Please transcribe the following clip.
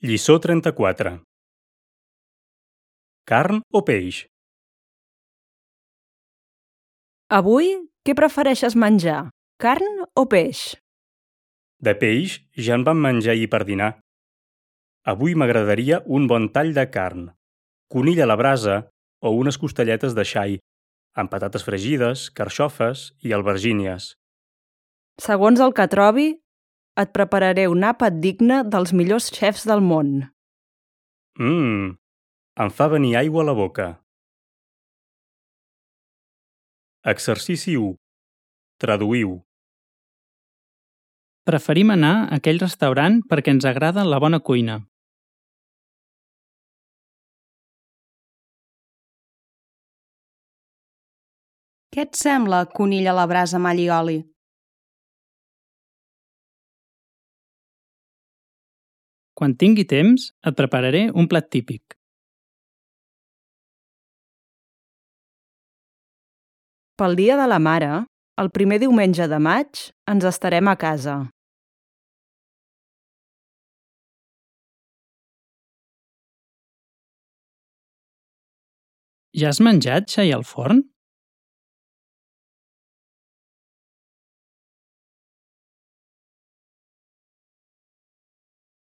Lliçó 34. Carn o peix? Avui, què prefereixes menjar, carn o peix? De peix ja en vam menjar ahir per dinar. Avui m'agradaria un bon tall de carn, conill a la brasa o unes costelletes de xai, amb patates fregides, carxofes i albergínies. Segons el que trobi, et prepararé un àpat digne dels millors xefs del món. Em fa venir aigua a la boca. Exercici 1. Traduïu. Preferim anar a aquell restaurant perquè ens agrada la bona cuina. Què et sembla, conill a la brasa amb all i oli? Quan tingui temps, et prepararé un plat típic. Pel Dia de la Mare, el primer diumenge de maig, ens estarem a casa. Ja has menjat xai al forn?